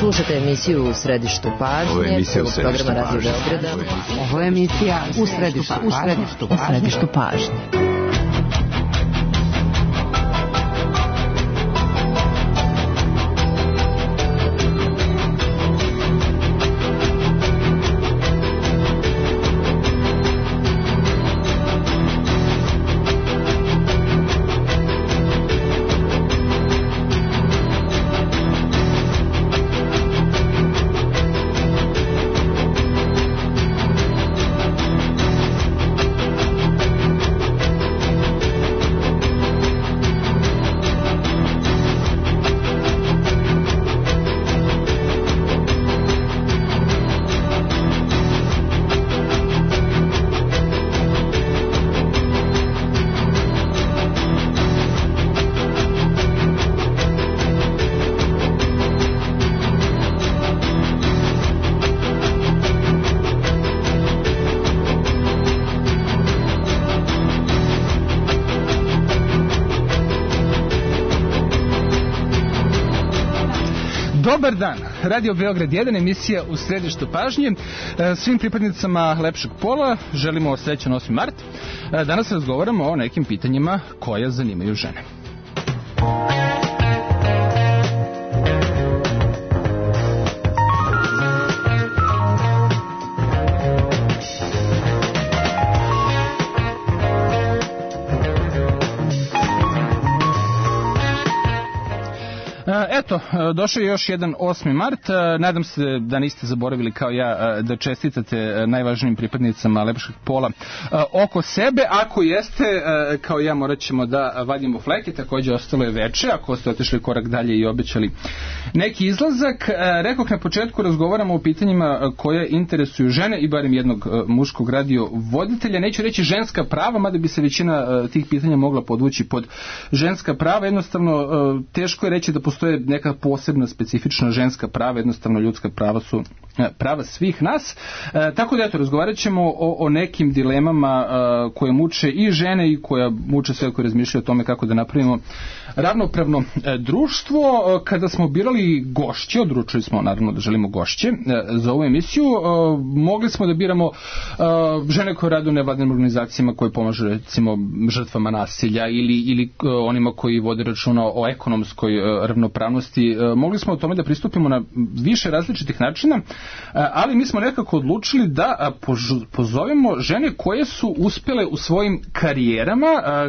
Slušate emisiju U središtu pažnje ovog programa Radio Beograda. Ovo je emisija U središtu pažnje. Dobar dan, Radio Beograd 1, emisija U središtu pažnje. Svim pripadnicama lepšeg pola želimo srećan 8. mart. Danas razgovaramo o nekim pitanjima koja zanimaju žene. Eto, došao je još jedan 8. mart. Nadam se da niste zaboravili kao ja da čestitate najvažnijim pripadnicama lepšeg pola oko sebe. Ako jeste, kao ja, morat ćemo da vadimo fleke. Također ostalo je veče, ako ste otišli korak dalje i obećali neki izlazak. Rekoh na početku, razgovaramo o pitanjima koje interesuju žene i barem jednog muškog radio voditelja. Neću reći ženska prava, mada bi se većina tih pitanja mogla podvući pod ženska prava. Jednostavno, teško je reći da postoje neka posebna specifična ženska prava, jednostavno ljudska prava su prava svih nas. Tako da eto, razgovarat ćemo o nekim dilemama koje muče i žene i koja muče sve koji razmišljaju o tome kako da napravimo ravnopravno društvo. Kada smo birali gošće, odlučili smo naravno da želimo gošće za ovu emisiju, mogli smo da biramo žene koje rade u nevladinim organizacijama koje pomažu recimo žrtvama nasilja ili onima koji vode računa o ekonomskoj ravnopravnosti. Mogli smo o tome da pristupimo na više različitih načina, ali mi smo nekako odlučili da pozovemo žene koje su uspjele u svojim karijerama,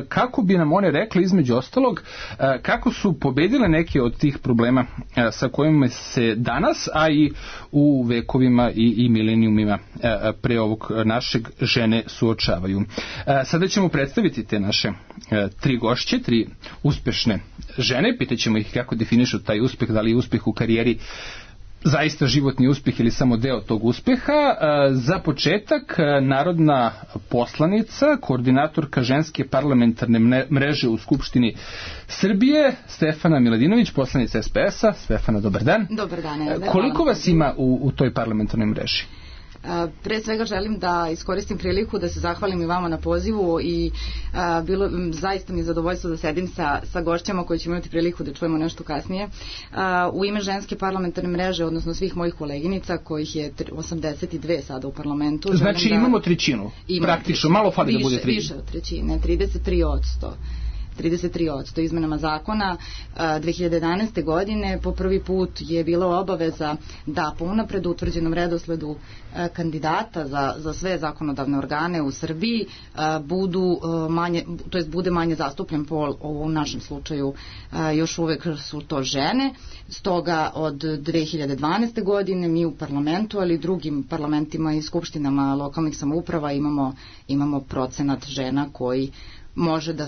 kako bi nam one rekle između ostalog kako su pobedile neke od tih problema sa kojima se danas, a i u vekovima i milenijumima pre ovog našeg žene suočavaju. Sada ćemo predstaviti te naše tri gošće, tri uspešne žene. Pitaćemo ih kako definišu taj uspeh, da li je uspeh u karijeri zaista životni uspjeh ili samo deo tog uspjeha. Za početak, narodna poslanica, koordinatorka ženske parlamentarne mreže u Skupštini Srbije, Stefana Miladinović, poslanica SPS-a. Stefana, dobar dan. Dobar dan. Koliko vas ima u toj parlamentarnoj mreži? Pre svega želim da iskoristim priliku da se zahvalim i vama na pozivu i zaista mi je zadovoljstvo da sedim sa gošćama koji ćemo imati priliku da čujemo nešto kasnije. U ime ženske parlamentarne mreže, odnosno svih mojih koleginica, kojih je 82 sada u parlamentu. Znači imamo trećinu, praktično, malo fali da bude trećina. Više od trećine, 33% izmenama zakona 2011. godine po prvi put je bila obaveza da po unapred utvrđenom redosledu kandidata za sve zakonodavne organe u Srbiji bude manje zastupljen pol. U našem slučaju još uvek su to žene. Stoga od 2012. godine mi u parlamentu, ali i drugim parlamentima i skupštinama lokalnih samouprava imamo procenat žena koji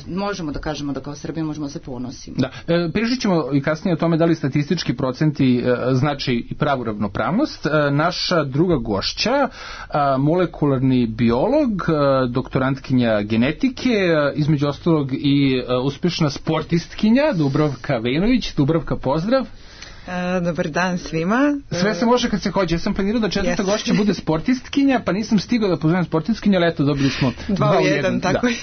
možemo da kažemo da kao Srbija možemo se ponosimo. Da. Pričat ćemo i kasnije o tome da li statistički procenti znači i pravu ravnopravnost. Naša druga gošća, molekularni biolog, doktorantkinja genetike, između ostalog i uspješna sportistkinja, Dubravka Vejnović. Dubravka, pozdrav. Dobar dan svima. Sve se može kad se hoće. Ja sam planirao da četvrta gošća bude sportistkinja, pa nisam stigao da pozovem sportistkinju, ali eto, dobili smo 2-1, tako je.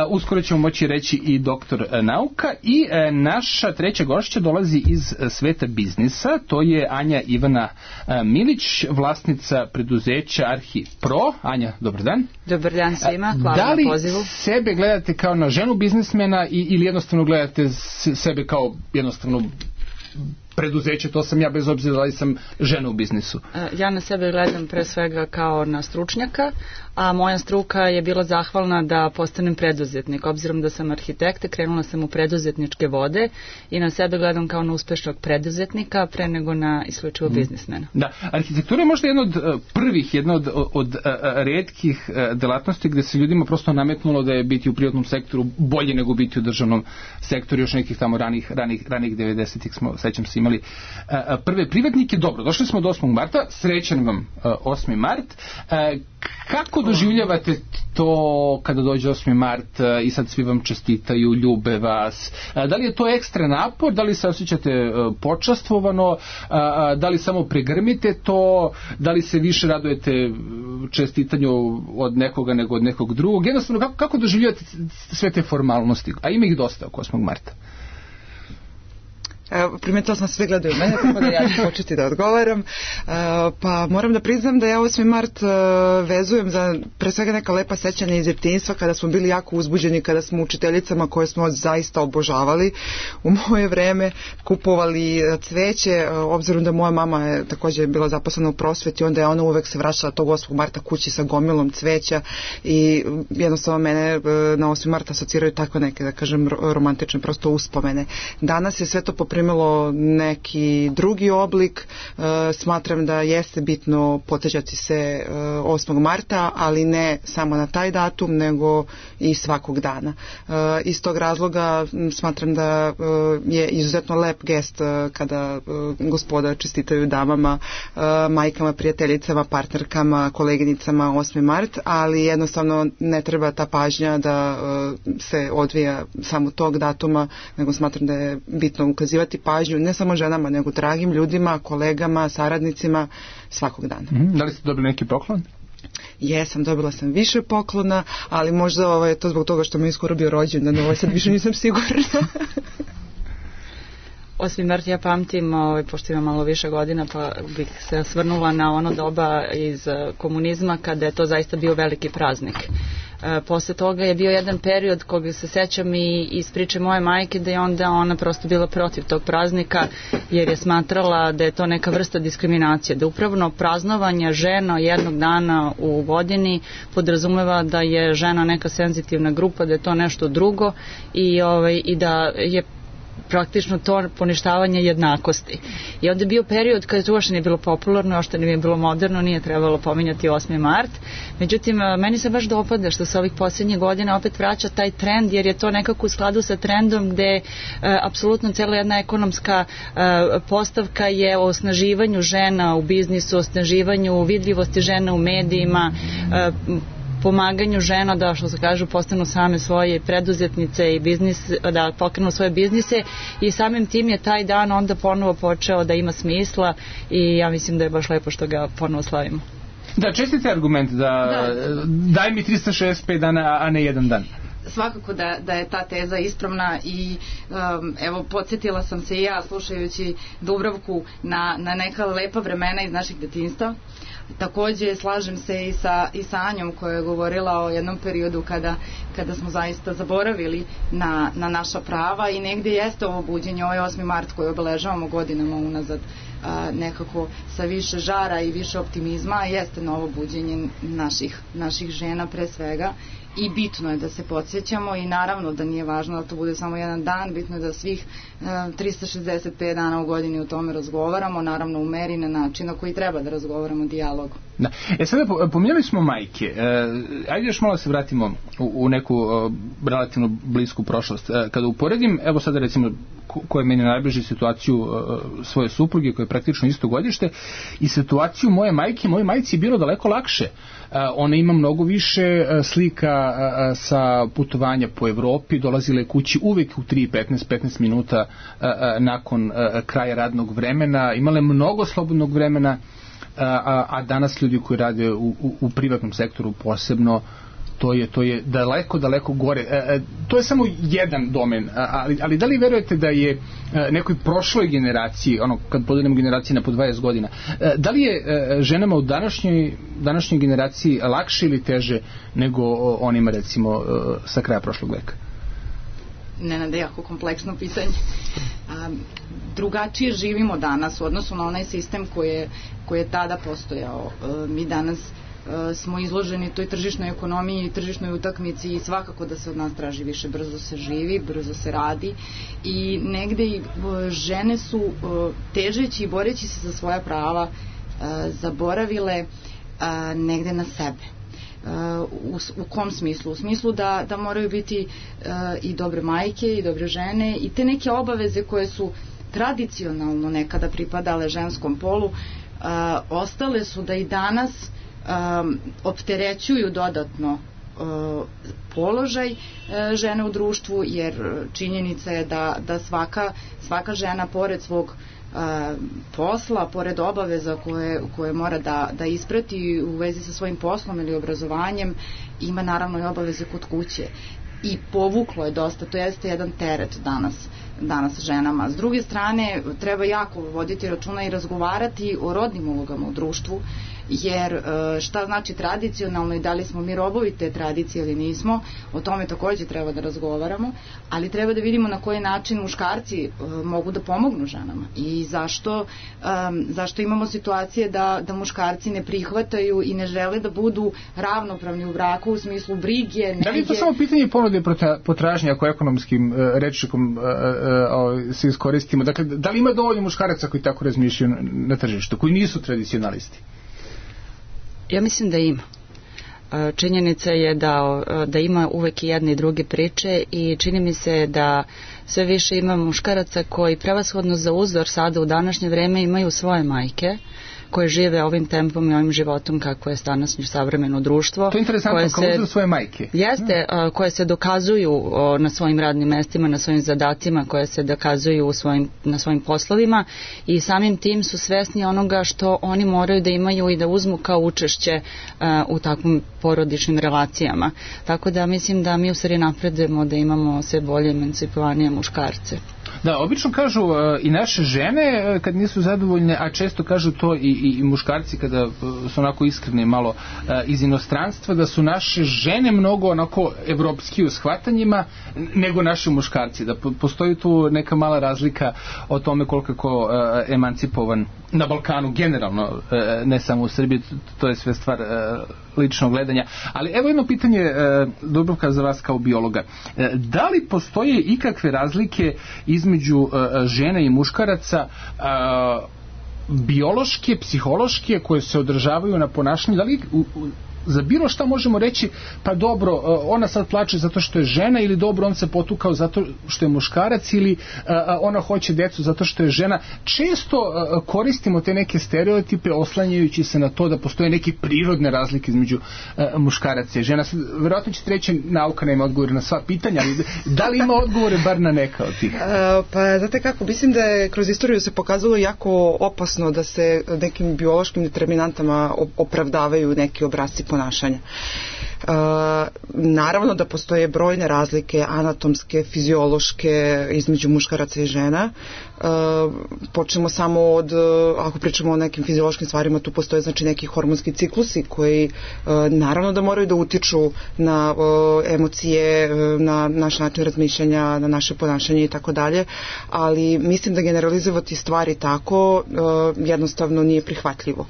Uskoro ćemo moći reći i doktor nauka. I naša treća gošća dolazi iz sveta biznisa. To je Anja Ivana Milić, vlasnica preduzeća Arhipro. Anja, dobar dan. Dobar dan svima, hvala na pozivu. Da li sebe gledate kao na ženu biznismena ili jednostavno gledate sebe kao jednostavno preduzeće, to sam ja bez obzira da li sam žena u biznisu? Ja na sebe gledam pre svega kao na stručnjaka, a moja struka je bila zahvalna da postanem preduzetnik. Obzirom da sam arhitekta, krenula sam u preduzetničke vode i na sebe gledam kao na uspešnog preduzetnika pre nego na isključivo biznismena. Da, arhitektura je možda jedna od prvih, jedna od retkih delatnosti gde se ljudima prosto nametnulo da je biti u privatnom sektoru bolje nego biti u državnom sektoru. Još nekih tamo ranih 90-ih smo, sećam se, imali prve privatnike. Dobro, došli smo do 8. marta, srećan vam 8. mart. Kako doživljavate to kada dođe 8. mart i sad svi vam čestitaju, ljube vas? Da li je to ekstra napor? Da li se osjećate počastvovano? Da li samo pregrmite to? Da li se više radujete čestitanju od nekoga nego od nekog drugog? Jednostavno, kako doživljavate sve te formalnosti? A ima ih dosta oko 8. marta. Primetila sam sve gledaju mene, tako da ja ću početi da odgovaram. Pa moram da priznam da ja 8. mart vezujem za pre svega neka lepa sećanja iz djetinjstva kada smo bili jako uzbuđeni, kada smo učiteljicama koje smo zaista obožavali u moje vreme kupovali cveće, obzirom da moja mama je također bila zaposlena u prosveti, onda je ona uvek se vraćala tog 8. marta kući sa gomilom cveća i jednostavno mene na 8. marta asociraju takve neke, da kažem, romantične prosto uspomene. Danas je sve to primilo neki drugi oblik. Smatram da jeste bitno podsjećati se 8. marta, ali ne samo na taj datum, nego i svakog dana. Iz tog razloga smatram da je izuzetno lep gest kada gospoda čestitaju damama, majkama, prijateljicama, partnerkama, koleginicama 8. mart, ali jednostavno ne treba ta pažnja da se odvija samo tog datuma, nego smatram da je bitno ukazivati pažnju ne samo ženama, nego dragim ljudima, kolegama, saradnicima svakog dana. Da li ste dobili neki poklon? Jesam, dobila sam više poklona, ali možda je to zbog toga što mi je skoro bio rođendan, sad više nisam sigurna. 8. mart ja pamtim, pošto imam malo više godina, pa bih se osvrnula na ono doba iz komunizma kada je to zaista bio veliki praznik. Posle toga je bio jedan period koga se sećam i iz priče moje majke, da je onda ona prosto bila protiv tog praznika jer je smatrala da je to neka vrsta diskriminacije, da upravo praznovanje žena jednog dana u godini podrazumeva da je žena neka senzitivna grupa, da je to nešto drugo i da je praktično to poništavanje jednakosti. I onda je bio period kada to uopšte nije bilo popularno, uopšte nije bilo moderno, nije trebalo pominjati 8. mart. Međutim, meni se baš dopada što se ovih posljednjih godina opet vraća taj trend, jer je to nekako u skladu sa trendom gde apsolutno cijela jedna ekonomska postavka je o osnaživanju žena u biznisu, o osnaživanju vidljivosti žena u medijima, pomaganju žena da, što se kažu, postanu same svoje preduzetnice i biznis, da pokrenu svoje biznise, i samim tim je taj dan onda ponovo počeo da ima smisla i ja mislim da je baš lepo što ga ponovo slavimo. Da, čestite argument da daj mi 365 dana, a ne jedan dan. Svakako da je ta teza ispravna i evo, podsjetila sam se i ja slušajući Dubravku na neka lepa vremena iz naših detinjstva. Takođe slažem se i sa Anjom koja je govorila o jednom periodu kada smo zaista zaboravili na naša prava i negde jeste ovo buđenje, ovaj 8. mart koji obeležavamo godinama unazad nekako sa više žara i više optimizma, jeste novo buđenje naših žena pre svega. I bitno je da se podsjećamo i naravno da nije važno da to bude samo jedan dan, bitno je da svih 365 dana u godini o tome razgovaramo, naravno u meri na način na koji treba da razgovaramo, dijalog. Da. Sada pominjali smo majke. Ajde još malo se vratimo u neku relativno blisku prošlost. Kada uporedim, evo sada recimo koja je meni najbliže, situaciju svoje supruge koja je praktično isto godište i situaciju moje majke. Moje majci je bilo daleko lakše. Ona ima mnogo više slika sa putovanja po Evropi, dolazila je kući uvek u 3:15 minuta nakon kraja radnog vremena, imala je mnogo slobodnog vremena, a danas ljudi koji rade u privatnom sektoru posebno, to je daleko gore. To je samo jedan domen, ali da li verujete da je nekoj prošloj generaciji, kad podelimo generacije na po 20 godina, da li je ženama u današnjoj generaciji lakše ili teže nego onima recimo sa kraja prošlog veka? Nenade, jako kompleksno pitanje. Drugačije živimo danas u odnosu na onaj sistem koji je tada postojao. Mi danas smo izloženi toj tržišnoj ekonomiji, tržišnoj utakmici i svakako da se od nas traži više. Brzo se živi, brzo se radi i negde i žene su težeći i boreći se za svoja prava zaboravile negde na sebe. U kom smislu? U smislu da moraju biti i dobre majke i dobre žene i te neke obaveze koje su tradicionalno nekada pripadale ženskom polu, ostale su da i danas opterećuju dodatno položaj žene u društvu, jer činjenica je da svaka žena pored svog posla, pored obaveza koje mora da isprati u vezi sa svojim poslom ili obrazovanjem, ima naravno i obaveze kod kuće i povuklo je dosta, to jeste jedan teret danas ženama. S druge strane, treba jako voditi računa i razgovarati o rodnim ulogama u društvu, jer šta znači tradicionalno i da li smo mi robovi te tradicije ili nismo, o tome takođe treba da razgovaramo, ali treba da vidimo na koji način muškarci mogu da pomognu ženama i zašto imamo situacije da muškarci ne prihvataju i ne žele da budu ravnopravni u braku u smislu brige. Da li je to samo pitanje ponude potražnje ako ekonomskim rečnikom se iskoristimo? Dakle, da li ima dovoljno muškaraca koji tako razmišljaju na tržištu, koji nisu tradicionalisti? Ja mislim da ima. Činjenica je da ima uvek i jedne i druge priče i čini mi se da sve više ima muškaraca koji prevashodno za uzor sada u današnje vreme imaju svoje majke koje žive ovim tempom i ovim životom kako je današnje savremeno društvo. To je interesantno, kao uzor svoje majke. Jeste, koje se dokazuju na svojim radnim mestima, na svojim zadacima, koje se dokazuju na svojim poslovima i samim tim su svesni onoga što oni moraju da imaju i da uzmu kao učešće u takvim porodičnim relacijama. Tako da mislim da mi u stvari napredujemo da imamo sve bolje emancipovanije muškarce. Da, obično kažu i naše žene kad nisu zadovoljne, a često kažu to i muškarci kada su onako iskreni malo iz inostranstva, da su naše žene mnogo onako evropski u shvatanjima nego naši muškarci, da postoji tu neka mala razlika o tome koliko je ko emancipovan na Balkanu generalno, ne samo u Srbiji, to je sve stvar ličnog gledanja. Ali evo jedno pitanje, Dubravka, za vas kao biologa. Da li postoje ikakve razlike između žena i muškaraca biološke, psihološke, koje se održavaju na ponašanju? Da li za bilo šta možemo reći, pa dobro, ona sad plače zato što je žena, ili dobro, on se potukao zato što je muškarac, ili ona hoće decu zato što je žena? Često koristimo te neke stereotipe oslanjajući se na to da postoje neke prirodne razlike između muškaraca i žena. Verovatno ćete reći, nauka nema odgovor na sva pitanja, ali da li ima odgovore bar na neka od tih? Pa znate kako, mislim da je kroz istoriju se pokazalo jako opasno da se nekim biološkim determinantama opravdavaju neki obrasci ponašanja. Naravno da postoje brojne razlike anatomske, fiziološke između muškaraca i žena. Počnemo samo od, ako pričamo o nekim fiziološkim stvarima, tu postoje znači neki hormonski ciklusi koji naravno da moraju da utiču na emocije, na naš način razmišljanja, na naše ponašanje i tako dalje, ali mislim da generalizovati stvari tako jednostavno nije prihvatljivo.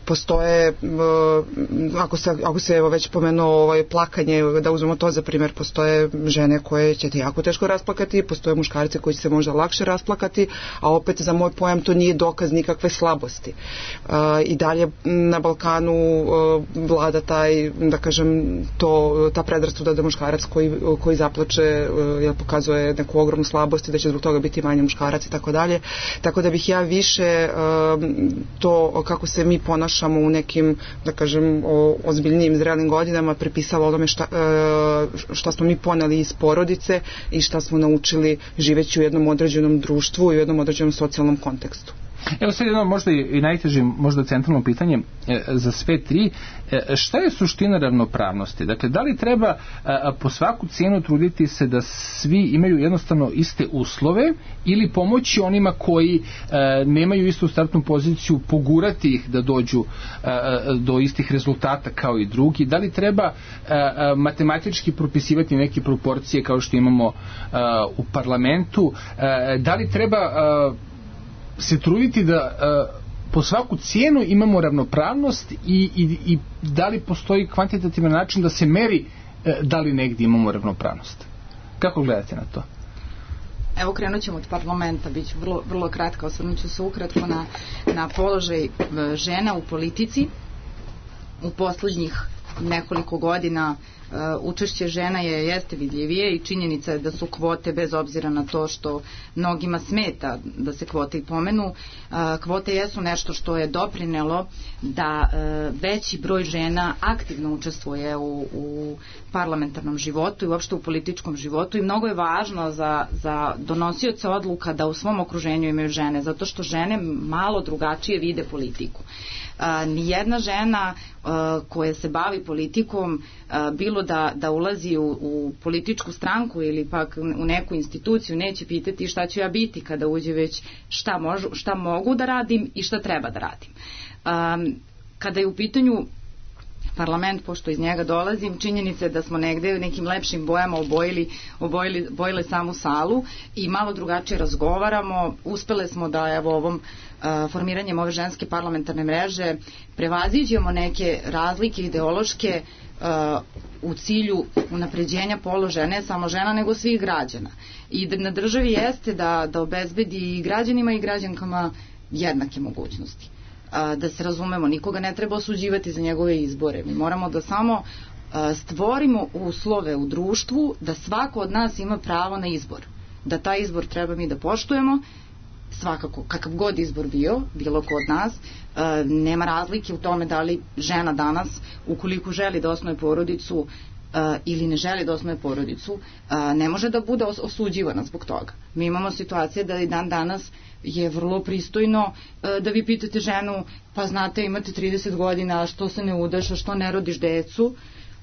Postoje, ako se već već pomenuo plakanje, da uzmemo to za primjer, postoje žene koje će te jako teško rasplakati, postoje muškarci koji će se možda lakše rasplakati, a opet za moj pojam to nije dokaz nikakve slabosti. I dalje na Balkanu vlada taj, da kažem, ta predrasuda da muškarac koji zaplače pokazuje neku ogromnu slabost i da će zbog toga biti manje muškarac i tako dalje. Tako da bih ja više to kako se mi ponašamo u nekim, da kažem, ozbiljnijim zrelim godinama pripisala onome šta smo mi poneli iz porodice i šta smo naučili živeći u jednom određenom društvu i u jednom određenom socijalnom kontekstu. Evo sad jedno možda i najteže, možda centralno pitanje za sve tri. Šta je suština ravnopravnosti? Dakle, da li treba po svaku cijenu truditi se da svi imaju jednostavno iste uslove ili pomoći onima koji nemaju istu startnu poziciju, pogurati ih da dođu do istih rezultata kao i drugi? Da li treba matematički propisivati neke proporcije kao što imamo u parlamentu? Da li treba se truditi da po svaku cijenu imamo ravnopravnost i da li postoji kvantitativan način da se meri da li negdje imamo ravnopravnost? Kako gledate na to? Evo, krenut ćemo od parlamenta, bit ću vrlo kratka, osvrnut ću se ukratko na položaj žena u politici. U poslednjih nekoliko godina učešće žena jeste vidljivije i činjenica je da su kvote, bez obzira na to što mnogima smeta da se kvote i pomenu, kvote jesu nešto što je doprinelo da veći broj žena aktivno učestvuje u parlamentarnom životu i uopšte u političkom životu i mnogo je važno za donosioce odluka da u svom okruženju imaju žene, zato što žene malo drugačije vide politiku. Nijedna žena koja se bavi politikom, bilo da ulazi u političku stranku ili pak u neku instituciju, neće pitati šta ću ja biti kada uđe, već šta mogu da radim i šta treba da radim. Kada je u pitanju parlament, pošto iz njega dolazim, činjenica je da smo negde u nekim lepšim bojama obojile samu salu i malo drugačije razgovaramo. Uspele smo da ovom formiranjem ove ženske parlamentarne mreže prevaziđemo neke razlike ideološke u cilju unapređenja položaja ne samo žena nego svih građana. I na državi jeste da obezbedi i građanima i građankama jednake mogućnosti. Da se razumemo, nikoga ne treba osuđivati za njegove izbore. Mi moramo da samo stvorimo uslove u društvu da svako od nas ima pravo na izbor. Da taj izbor treba mi da poštujemo, svakako, kakav god izbor bilo ko od nas, nema razlike u tome da li žena danas, ukoliko želi da osnuje porodicu ili ne želi da osnuje porodicu, ne može da bude osuđivana zbog toga. Mi imamo situacije da i dan danas je vrlo pristojno da vi pitate ženu, pa znate, imate 30 godina, što se ne udaš, što ne rodiš decu,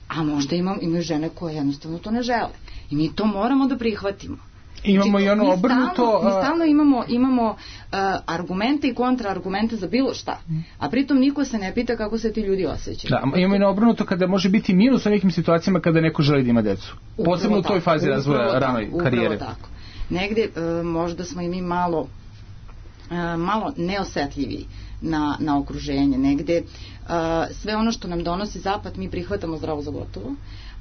a možda imaju žene koje jednostavno to ne žele. I mi to moramo da prihvatimo. Imamo i ono obrnuto. Mi stalno imamo argumente i kontraargumente za bilo šta, a pritom niko se ne pita kako se ti ljudi osjećaju. Da, imamo i ono obrnuto kada može biti minus u nekim situacijama kada neko želi da ima decu. Posebno u toj fazi razvoja ranoj karijere. Upravo tako. Negde možda smo i mi malo neosetljiviji na okruženje. Negde sve ono što nam donosi zapad mi prihvatamo zdravo za gotovo,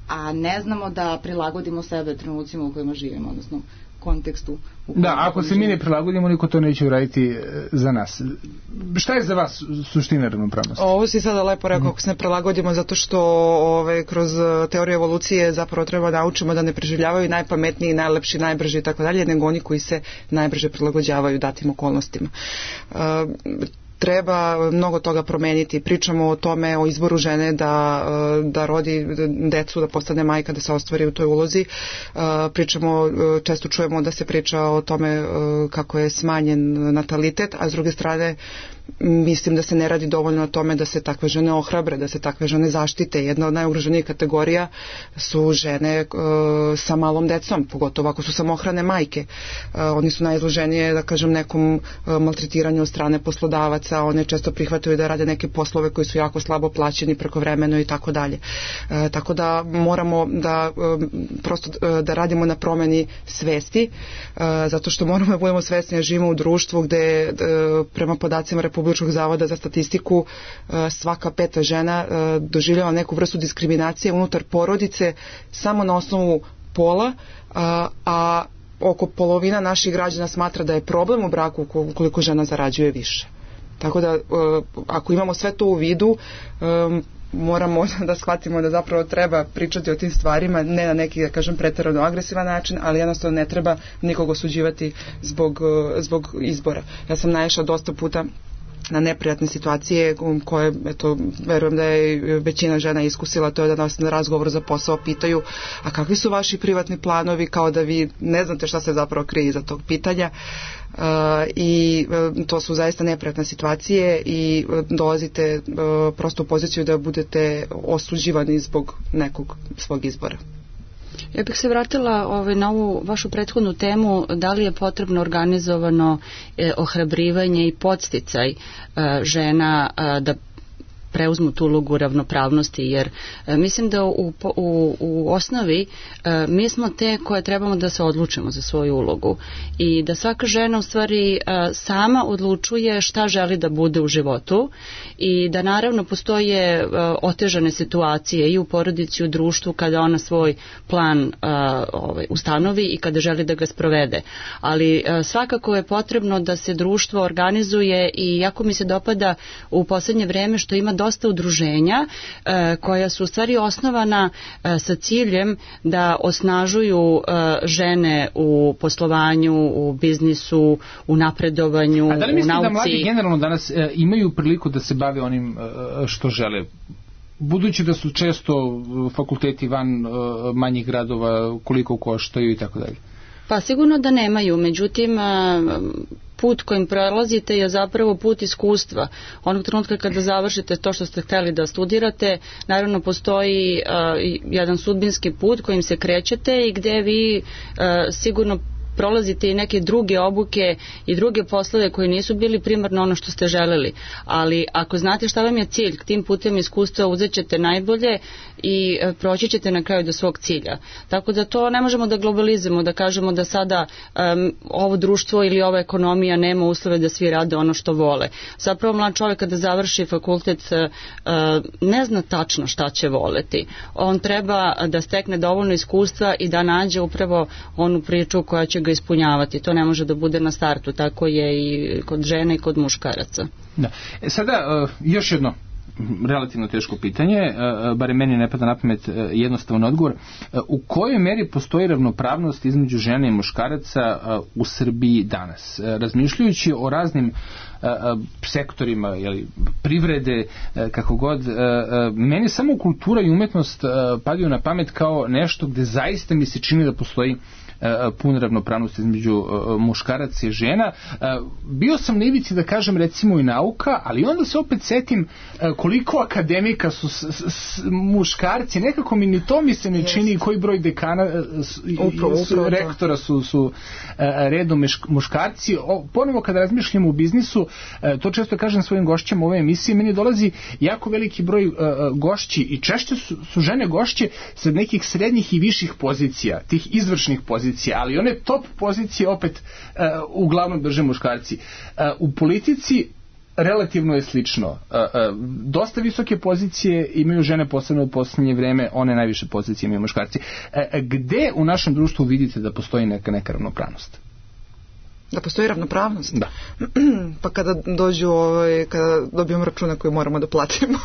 a ne znamo da prilagodimo sebe trenucima u kojima živimo, odnosno kontekstu. Da, ako se mi ne prilagodimo, niko to neće uraditi za nas. Šta je za vas suština ravnopravnosti? Ovo si sada lepo rekao, ako se ne prilagodimo, zato što kroz teoriju evolucije zapravo treba naučimo da ne preživljavaju najpametniji, najlepši, najbrži i tako dalje, nego oni koji se najbrže prilagođavaju datim okolnostima. Treba mnogo toga promeniti. Pričamo o tome, o izboru žene da rodi decu, da postane majka, da se ostvari u toj ulozi. Često čujemo da se priča o tome kako je smanjen natalitet, a s druge strane mislim da se ne radi dovoljno na tome da se takve žene ohrabre, da se takve žene zaštite. Jedna od najugroženijih kategorija su žene sa malom decom, pogotovo ako su samohrane majke. Oni su najizloženije, da kažem, nekom maltretiranju od strane poslodavaca, one često prihvataju da rade neke poslove koji su jako slabo plaćeni, prekovremeno i tako dalje. Tako da moramo da radimo na promeni svesti, zato što moramo da budemo svesni da živimo u društvu gde prema podacima Republike Republičkog zavoda za statistiku svaka 5. žena doživljava neku vrstu diskriminacije unutar porodice samo na osnovu pola, a oko polovina naših građana smatra da je problem u braku ukoliko žena zarađuje više. Tako da ako imamo sve to u vidu, moramo da shvatimo da zapravo treba pričati o tim stvarima, ne na neki, da kažem, preterano agresivan način, ali jednostavno ne treba nikog osuđivati zbog izbora. Ja sam naišla dosta puta na neprijatne situacije koje, eto, verujem da je većina žena iskusila, to je da nas na razgovor za posao pitaju, a kakvi su vaši privatni planovi, kao da vi ne znate šta se zapravo krije iza tog pitanja. I to su zaista neprijatne situacije i dolazite prosto u poziciju da budete osuđivani zbog nekog svog izbora. Ja bih se vratila na ovu vašu prethodnu temu, da li je potrebno organizovano ohrabrivanje i podsticaj žena da preuzmu tu ulogu ravnopravnosti, jer mislim da u osnovi mi smo te koje trebamo da se odlučimo za svoju ulogu i da svaka žena u stvari sama odlučuje šta želi da bude u životu i da naravno postoje otežane situacije i u porodici i u društvu kada ona svoj plan ustanovi i kada želi da ga sprovede. Ali svakako je potrebno da se društvo organizuje i jako mi se dopada u poslednje vreme što ima dosta udruženja koja su u stvari osnovana sa ciljem da osnažuju žene u poslovanju, u biznisu, u napredovanju, u nauci. A da li mislite da mladi generalno danas imaju priliku da se bave onim što žele? Budući da su često fakulteti van manjih gradova, koliko koštaju i tako dalje. Pa sigurno da nemaju, međutim put kojim prelazite je zapravo put iskustva. Onog trenutka kada završite to što ste hteli da studirate, naravno postoji jedan sudbinski put kojim se krećete i gde vi sigurno prolazite i neke druge obuke i druge poslove koji nisu bili primarno ono što ste želeli. Ali ako znate šta vam je cilj, tim putem iskustva uzet ćete najbolje i proći ćete na kraju do svog cilja. Tako da to ne možemo da globalizujemo, da kažemo da sada ovo društvo ili ova ekonomija nema uslove da svi rade ono što vole. Zapravo mlad čovjek kada završi fakultet ne zna tačno šta će voleti. On treba da stekne dovoljno iskustva i da nađe upravo onu priču koja će ga ispunjavati. To ne može da bude na startu. Tako je i kod žena i kod muškaraca. Da. Sada još jedno relativno teško pitanje, bare meni ne pada na pamet jednostavan odgovor. U kojoj meri postoji ravnopravnost između žene i muškaraca u Srbiji danas? Razmišljajući o raznim sektorima, privrede, kako god, meni samo kultura i umetnost padaju na pamet kao nešto gde zaista mi se čini da postoji puna ravnopravnost između muškaraca i žena. Bio sam na ivici da kažem recimo i nauka, ali onda se opet setim koliko akademika su muškarci, nekako mi ni to mi se ne čini, koji broj dekana rektora su redom muškarci. Ponovo kada razmišljamo o biznisu, to često kažem svojim gošćama u ove emisije, meni dolazi jako veliki broj gošći i češće su žene gošće sa nekih srednjih i viših pozicija, tih izvršnih pozicija, ali one top pozicije opet uglavnom drže muškarci. U politici relativno je slično. Dosta visoke pozicije imaju žene, posebno u posljednje vreme, one najviše pozicije imaju muškarci. Gde u našem društvu vidite da postoji neka ravnopravnost? Da postoji ravnopravnost? Da. Pa kada dođu, kada dobijemo računa koje moramo da platimo,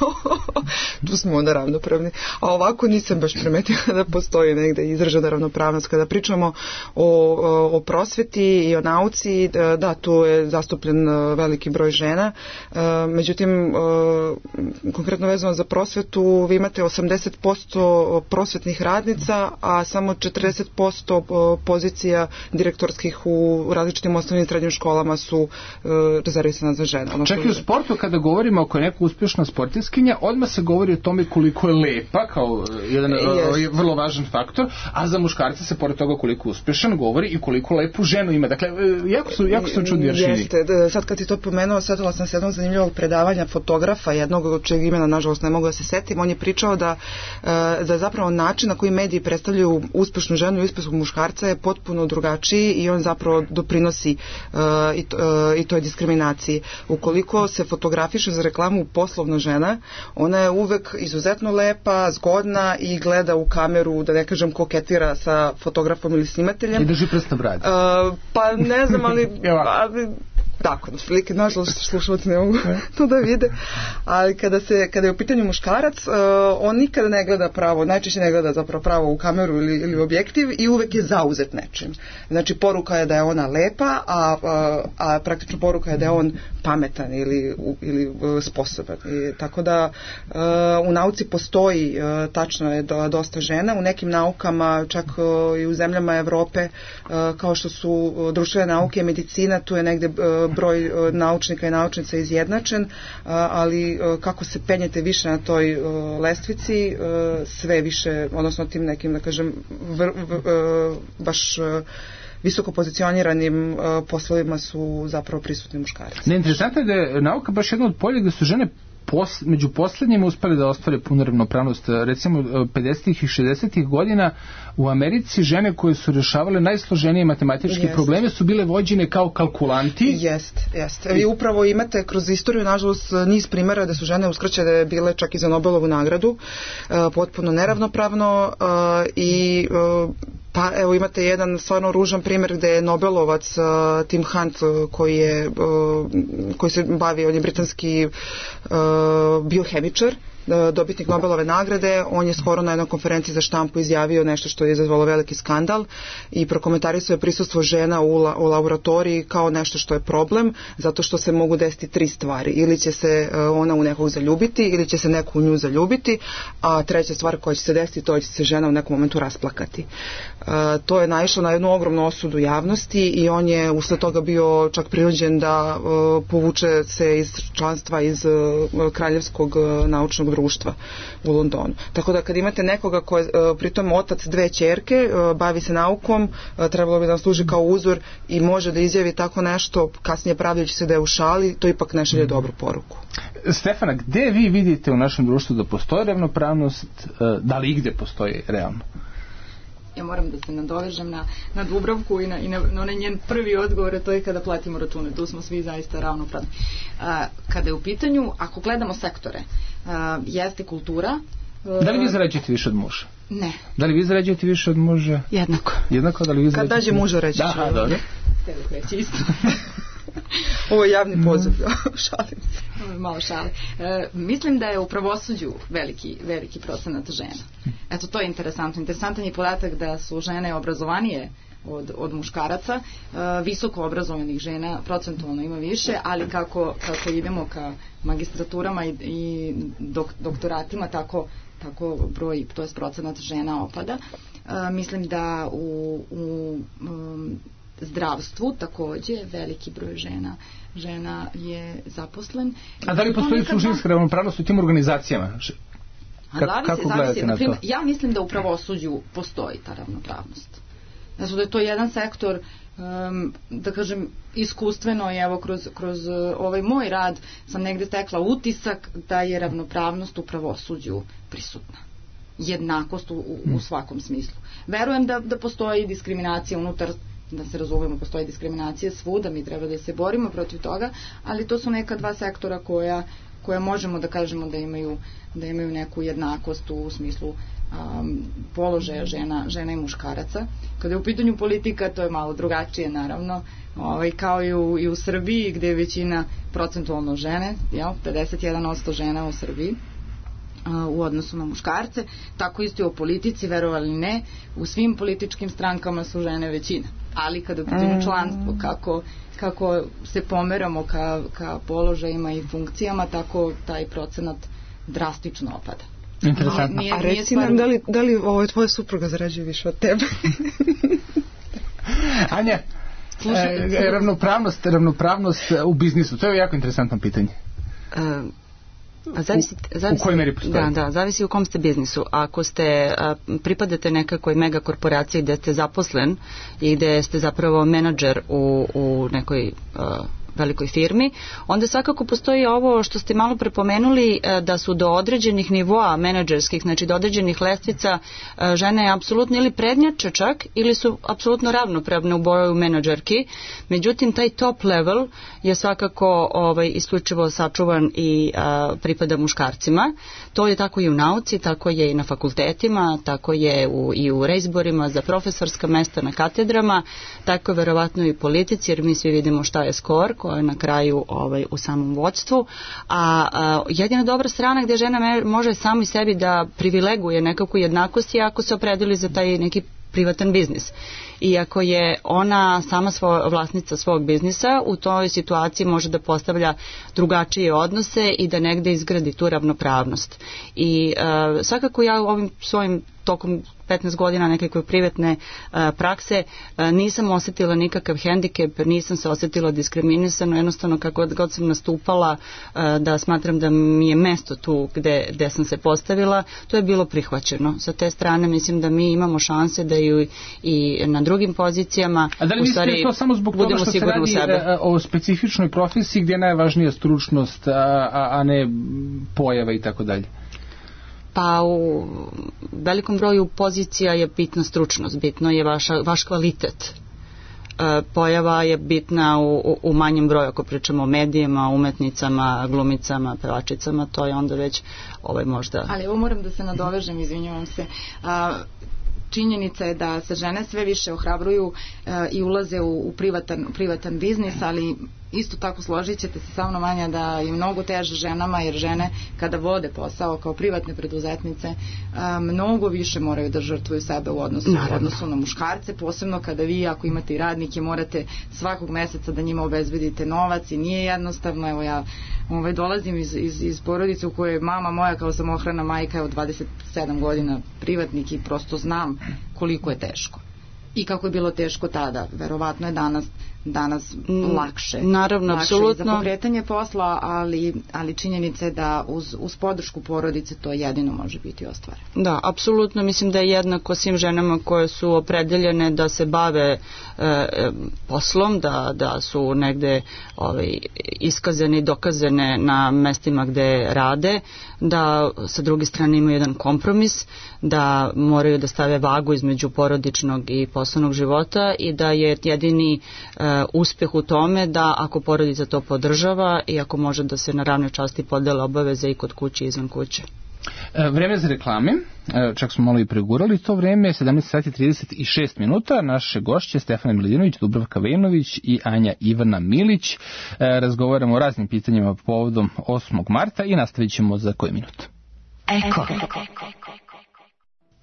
tu smo onda ravnopravni. A ovako nisam baš primetila da postoji negde izražena ravnopravnost. Kada pričamo o prosveti i o nauci, da, tu je zastupljen veliki broj žena. Međutim, konkretno vezano za prosvetu, vi imate 80% prosvetnih radnica, a samo 40% pozicija direktorskih u različitim osnovnim i srednjim školama su rezervisana za žene. Čak i u sportu kada govorimo oko neka uspješna sportiskinja, odmah se govori o tome koliko je lepa kao jedan vrlo važan faktor, a za muškarce se pored toga koliko uspješan govori i koliko lepu ženu ima. Dakle, jako su čudni aršini. Jeste, sad kad ti to pomenuo, setila sam se jednog zanimljivog predavanja fotografa, jednog od čeg imena nažalost ne mogu da se setim. On je pričao da zapravo način na koji mediji predstavljaju uspješnu ženu i uspješnog muškarca je potpuno drugačiji i on zapravo doprinosi klasi i toj diskriminaciji. Ukoliko se fotografiše za reklamu poslovna žena, ona je uvek izuzetno lepa, zgodna i gleda u kameru, da ne kažem koketira sa fotografom ili snimateljem. I drži prst na bradi. Pa ne znam, ali tako, prilike, nažalost, slušalci ne mogu to da vide, ali kada je u pitanju muškarac, on nikada ne gleda pravo, najčešće ne gleda zapravo pravo u kameru ili u objektiv i uvek je zauzet nečim. Znači, poruka je da je ona lepa, a praktično poruka je da je on pametan ili sposoban. Tako da u nauci postoji, tačno je, dosta žena. U nekim naukama, čak i u zemljama Evrope, kao što su društvene nauke i medicina, tu je negde broj naučnika i naučnica izjednačen, ali kako se penjete više na toj lestvici, sve više, odnosno tim nekim, da kažem, baš visoko pozicioniranim poslovima su zapravo prisutni muškarci. Neinteresantno je da je nauka baš jedna od polja gde su žene među poslednjima uspeli da ostvare punu ravnopravnost. Recimo 50-ih i 60-ih godina u Americi žene koje su rešavale najsloženije matematičke probleme su bile vođene kao kalkulanti. Jeste. Vi upravo imate kroz istoriju, nažalost, niz primjera da su žene uskraćene bile čak i za Nobelovu nagradu, potpuno neravnopravno i pa evo imate jedan stvarno ružan primjer gde je Nobelovac Tim Hunt koji se bavi, on je britanski biohemičar, dobitnik Nobelove nagrade. On je skoro na jednoj konferenciji za štampu izjavio nešto što je izazvalo veliki skandal i prokomentarisao je prisustvo žena u laboratoriji kao nešto što je problem, zato što se mogu desiti 3 stvari. Ili će se ona u nekog zaljubiti, ili će se neko u nju zaljubiti, a treća stvar koja će se desiti, to će se žena u nekom momentu rasplakati. To je naišlo na jednu ogromnu osudu javnosti i on je usled toga bio čak prinuđen da povuče se iz članstva iz Kraljevskog naučnog društva u Londonu. Tako da kad imate nekoga ko je pritom otac 2 ćerke, bavi se naukom, trebalo bi da vam služi kao uzor i može da izjavi tako nešto, kasnije pravdajući se da je u šali, to ipak ne šalje dobru poruku. Stefana, gde vi vidite u našem društvu da postoji ravnopravnost, da li igde postoji realno? Ja moram da se nadovežem na Dubravku i na onaj njen prvi odgovor, to je kada platimo račune. Tu smo svi zaista ravnopravni. Kada je u pitanju, ako gledamo sektore, jeste kultura. Da li vi zarađujete više od muža? Ne. Da li vi zarađujete više od muža? Jednako. Jednako, da li vi zarađujete? Kad dađe muža reći. Da, dobro. Htjeli reći isto. Ovo je javni poziv, šalim se. Malo šale. Mislim da je u pravosuđu veliki procenat žena. Eto, to je interesantno. Interesantan je podatak da su žene obrazovanije od muškaraca, visoko obrazovanih žena procentualno ima više, ali kako idemo ka magistraturama i doktoratima, tako broj, to je procenat žena opada. Mislim da u zdravstvu takođe veliki broj žena je zaposlen. A da li postoji suštinska ravnopravnost u tim organizacijama? Kako gledate na to? Ja mislim da u pravosuđu postoji ta ravnopravnost. Znači da je to jedan sektor, da kažem, iskustveno i evo kroz ovaj moj rad sam negde stekla utisak da je ravnopravnost u pravosuđu prisutna. Jednakost u svakom smislu. Verujem da postoji diskriminacija unutar, da se razumemo, postoji diskriminacija svuda, mi treba da se borimo protiv toga, ali to su neka 2 sektora koja možemo da kažemo da imaju neku jednakost u smislu položaja žena i muškaraca. Kada je u pitanju politika, to je malo drugačije naravno, kao i u Srbiji gde je većina procentualno žene, 51% žena u Srbiji u odnosu na muškarce, tako isto i u politici, verovali ne, u svim političkim strankama su žene većina. Ali kada je u pitanju članstvo, kako se pomeramo ka položajima i funkcijama, tako taj procenat drastično opada. Interesantno. A reci nam, da li tvoja supruga zarađuje više od tebe? Anja, ravnopravnost u biznisu, to je jako interesantno pitanje. Zavisi, u kojoj meri postoji? Da, zavisi u kom ste biznisu. Ako pripadate nekakvoj mega korporaciji gde ste zaposlen i gde ste zapravo menadžer u nekoj velikoj firmi, onda svakako postoji ovo što ste malo prepomenuli, da su do određenih nivoa menadžerskih, znači do određenih lestvica, žene apsolutno ili prednjače čak ili su apsolutno ravnopravne u boju menadžerki. Međutim, taj top level je svakako isključivo sačuvan i pripada muškarcima. To je tako i u nauci, tako je i na fakultetima, tako je i u reizborima za profesorska mesta na katedrama, tako je verovatno i u politici, jer mi svi vidimo šta je skor koja je na kraju u samom vodstvu. A jedina dobra strana gdje žena može samo i sebi da privileguje nekakvu jednakost je ako se opredeli za taj neki privatan biznis. I ako je ona sama vlasnica svog biznisa, u toj situaciji može da postavlja drugačije odnose i da negde izgradi tu ravnopravnost. I svakako ja ovim svojim tokom 15 godina nekakve privatne prakse nisam osjetila nikakav hendikep, nisam se osjetila diskriminisano, jednostavno kako god sam nastupala da smatram da mi je mesto tu gde sam se postavila, to je bilo prihvaćeno. Sa te strane mislim da mi imamo šanse da i na drugim pozicijama u stvari to samo zbog toga što se radi o specifičnoj profesiji gdje je najvažnija stručnost, a ne pojava i tako dalje? Pa u velikom broju pozicija je bitna stručnost, bitno je vaš kvalitet. Pojava je bitna u manjem broju, ako pričamo o medijima, umetnicama, glumicama, pevačicama, to je onda već možda... Ali ovo moram da se nadovežem, izvinjavam se. Činjenica je da se žene sve više ohrabruju i ulaze u privatan biznis, ali isto tako složit ćete se sa mnom, Anja, da je mnogo teže ženama, jer žene kada vode posao kao privatne preduzetnice mnogo više moraju da žrtvuju sebe u odnosu na muškarce, posebno kada vi, ako imate i radnike, morate svakog meseca da njima obezbedite novac i nije jednostavno. Evo ja dolazim iz porodice u kojoj je mama moja kao samohrana majka od 27 godina privatnik i prosto znam koliko je teško i kako je bilo teško tada. Verovatno je danas lakše. Naravno, apsolutno. Za pokretanje posla, ali činjenica je da uz podršku porodice to jedino može biti ostvareno. Da, apsolutno. Mislim da je jednako svim ženama koje su opredeljene da se bave poslom, da su negde iskazane i dokazane na mestima gde rade, da sa druge strane imaju jedan kompromis, da moraju da stave vagu između porodičnog i poslovnog života i da je jedini uspjeh u tome da ako porodica to podržava i ako može da se na ravnoj časti podele obaveze i kod kuće i izvan kuće. Vreme za reklame, čak smo malo i pregurali to vreme, 17:36 minuta. Naše gošće Stefana Miladinović, Dubravka Vejnović i Anja Ivana Milić. Razgovaramo o raznim pitanjima povodom 8. marta i nastavit ćemo za koji minut. Eko.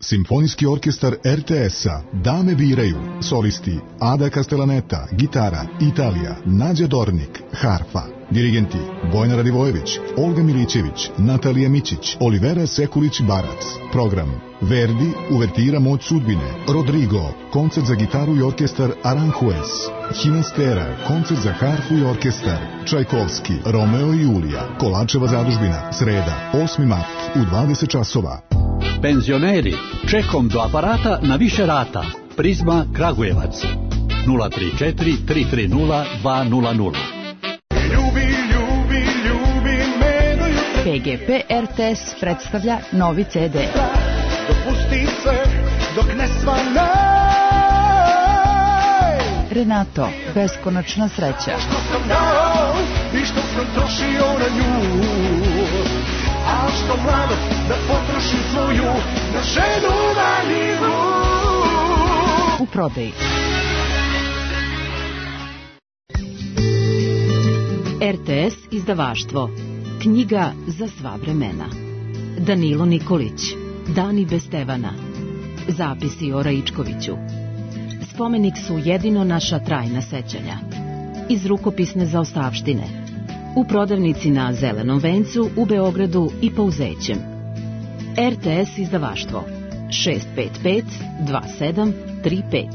Simfonijski orkestar RTS-a Dame biraju. Solisti Ada Castellaneta, gitara, Italija, Nađa Dornik, harfa. Dirigenti Bojana Radivojević, Olga Milićević, Natalija Mićić, Olivera Sekulić-Barac. Program Verdi, uvertira Moć sudbine. Rodrigo, koncert za gitaru i orkestar Aranjuez. Hinastera, koncert za harfu i orkestar. Čajkovski, Romeo i Julija. Kolačeva zadužbina, sreda, 8. mart u 20 časova. Penzioneri, čekom do aparata na više rata. Prizma Kragujevac 034 330 200. PGP RTS predstavlja novi CD. Dopusti se dok ne svane. Renato, beskonačna sreća. Što sam dao i što sam trošio na nju, a što mlado da potrošim svoju na ženu valjivu. U prodaji. RTS izdavaštvo. Knjiga za sva vremena. Danilo Nikolić. Dani bez Stevana. Zapisi o Raičkoviću. Spomenik su jedino naša trajna sećanja. Iz rukopisne zaostavštine. U prodavnici na Zelenom vencu u Beogradu i Pouzećem. RTS izdavaštvo 655 2735.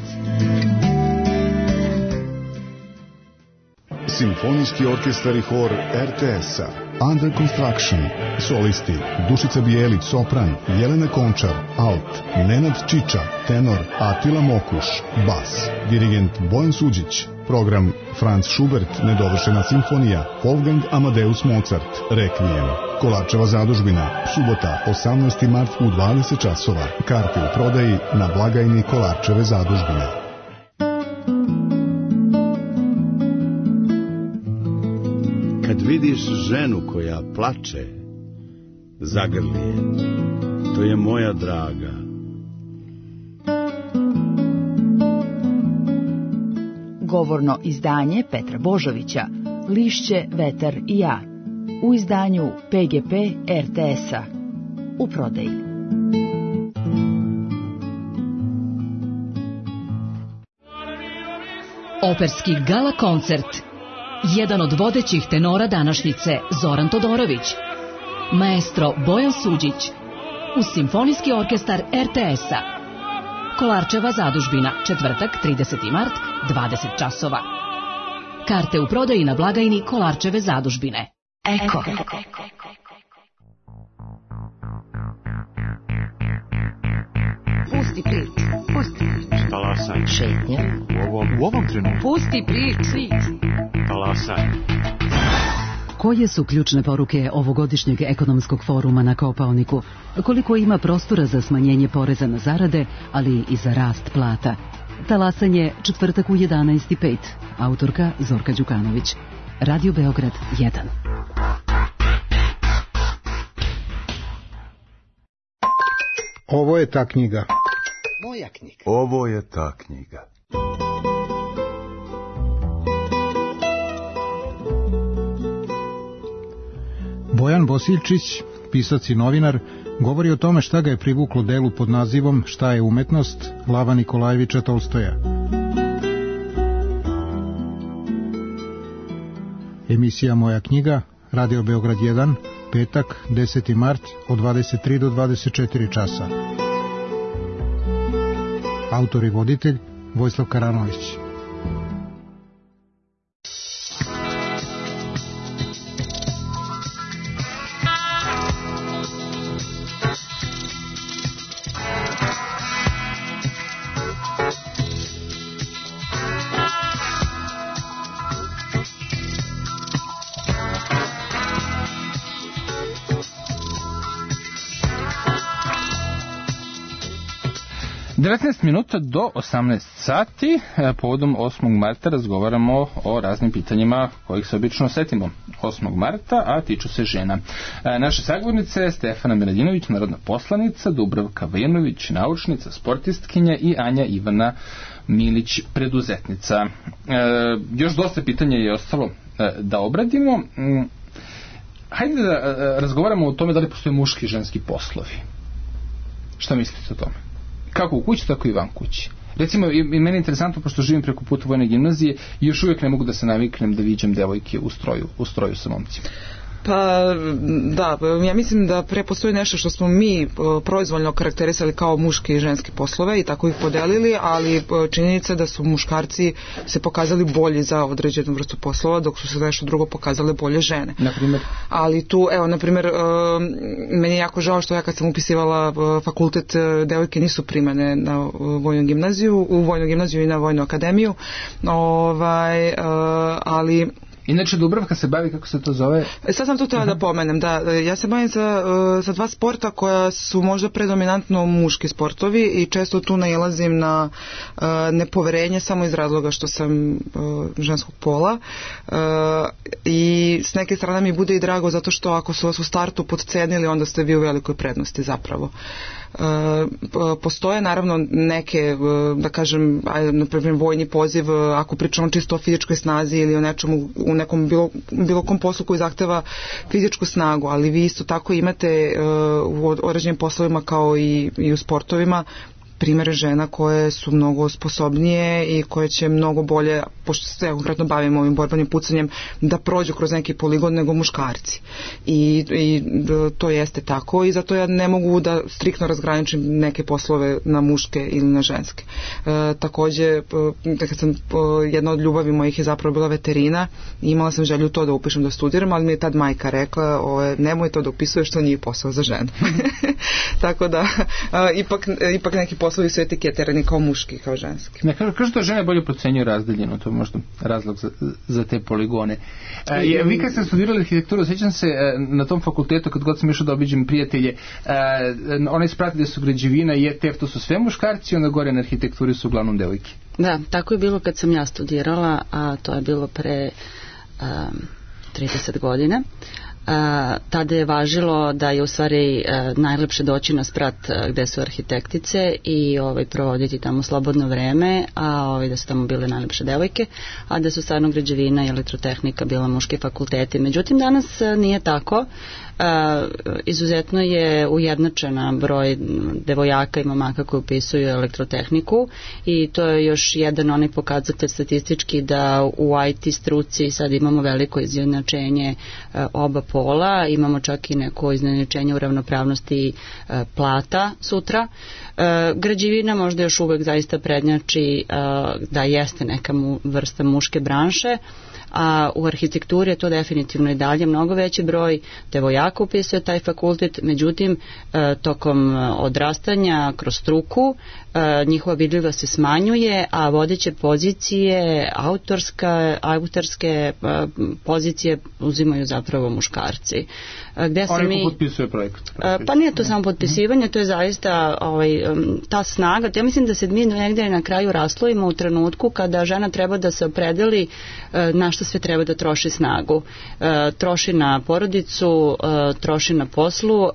Simfonijski orkestar i hor RTS-a Under Construction, solisti Dušica Bijelić, sopran, Jelena Končar, alt, Nenad Čiča, tenor, Atila Mokuš, bas, dirigent Bojan Suđić, program Franz Schubert, nedovršena simfonija, Wolfgang Amadeus Mozart, Requiem, Kolarčeva zadužbina, subota, 18. mart u 20 časova, karte u prodaji na blagajni Kolarčeve zadužbine. Kad vidiš ženu koja plače, zagrli je, to je moja draga. Govorno izdanje Petra Božovića, Lišće, vetar i ja, u izdanju PGP RTS-a, u prodaji. Operski gala koncert. Jedan od vodećih tenora današnjice, Zoran Todorović, maestro Bojan Suđić, uz Simfonijski orkestar RTS-a. Kolarčeva zadužbina, četvrtak, 30. mart, 20 časova. Karte u prodaji na blagajni Kolarčeve zadužbine. Eko. Pusti priču, pusti priču. Talasaj. Šetnja. U ovom trenutku. Pusti priču. Talasaj. Koje su ključne poruke ovogodišnjeg ekonomskog foruma na Kopaoniku? Koliko ima prostora za smanjenje poreza na zarade, ali i za rast plata? Talasanje, četvrtak u 11:05. Autorka Zorka Đukanović. Radio Beograd 1. Ovo je ta knjiga. Moja knjiga. Ovo je ta knjiga. Bojan Bosiljčić, pisac i novinar, govori o tome šta ga je privuklo delu pod nazivom Šta je umetnost Lava Nikolajevića Tolstoja. Emisija Moja knjiga, Radio Beograd 1, petak, 10. mart, od 23 do 24 časa. Autor i voditelj Vojislav Karanović. Minuta do 18 sati, povodom 8. marta razgovaramo o raznim pitanjima kojih se obično setimo 8. marta, a tiču se žena. Naše sagovornice Stefana Miladinović, narodna poslanica, Dubravka Vajanović, naučnica, sportistkinja i Anja Ivana Milić, preduzetnica. Još dosta pitanja je ostalo da obradimo. Hajde da razgovaramo o tome da li postoje muški i ženski poslovi. Šta mislite o tome? Kako u kući, tako i van kući. Recimo, i meni je interesantno, pošto živim preko puta vojne gimnazije i još uvijek ne mogu da se naviknem da viđem devojke u stroju sa momcima. Pa da, ja mislim da pre postoji nešto što smo mi proizvoljno karakterisali kao muške i ženske poslove i tako ih podelili, ali činjenica da su muškarci se pokazali bolji za određenu vrstu poslova, dok su se nešto drugo pokazale bolje žene. Naprimjer? Ali tu, evo, naprimjer, meni je jako žao što ja kad sam upisivala fakultet, devojke nisu primane na vojnu gimnaziju i na vojnu akademiju, ali inače Dubravka se bavi, kako se to zove? Sad sam to htjela da pomenem, da, ja se bavim sa dva sporta koja su možda predominantno muški sportovi i često tu nailazim na nepoverenje samo iz razloga što sam ženskog pola i s neke strane mi bude i drago zato što ako su vas u startu podcenili, onda ste vi u velikoj prednosti zapravo. Postoje naravno neke, da kažem, na primjer vojni poziv, ako pričamo čisto o fizičkoj snazi ili o nečemu, u nekom bilo kom poslu koji zahteva fizičku snagu, ali vi isto tako imate u određenim poslovima kao i u sportovima primere žena koje su mnogo sposobnije i koje će mnogo bolje, pošto se konkretno bavimo ovim borbenim pucanjem, da prođu kroz neki poligon nego muškarci. I to jeste tako i zato ja ne mogu da striktno razgraničim neke poslove na muške ili na ženske. Takođe, kad sam, jedna od ljubavi mojih je zapravo bila veterina i imala sam želju to da upišem da studiram, ali mi je tad majka rekla, nemoj to da upisuješ, to nije posao za ženu. Tako da, ipak neki poslovi su etiketirani kao muški, kao ženski. Kažu da žene bolje procenjuju razdaljinu, to je možda razlog za te poligone. Vi kad ste studirali arhitekturu, sjećam se na tom fakultetu, kad god sam išao da obiđem prijatelje, onaj sprat gde su građevina i ETF, to su sve muškarci, onda gore na arhitekturi su uglavnom devojke. Da, tako je bilo kad sam ja studirala, a to je bilo pre 30 godina. Tada je važilo da je u stvari najlepše doći na sprat gde su arhitektice i provoditi tamo slobodno vreme, a da su tamo bile najlepše devojke, a da su stvarno građevina i elektrotehnika bila muški fakulteti. Međutim, danas nije tako. Izuzetno je ujednačena broj devojaka i momaka koji upisuju elektrotehniku i to je još jedan onaj pokazatelj statistički da u IT struci sad imamo veliko izjednačenje oba pola, imamo čak i neko izjednačenje u ravnopravnosti plata sutra. Građevina možda još uvek zaista prednjači da jeste neka vrsta muške branše, a u arhitekturi je to definitivno i dalje mnogo veći broj devojaka upisuje taj fakultet, međutim tokom odrastanja kroz struku njihova vidljivost se smanjuje, a vodeće pozicije, autorske pozicije uzimaju zapravo muškarci. Gde se mi potpisuje projekat? Pa nije to samo potpisivanje, to je zaista ta snaga. Ja mislim da se mi negde na kraju raslojimo u trenutku kada žena treba da se opredeli na što sve treba da troši snagu. Troši na porodicu, troši na poslu.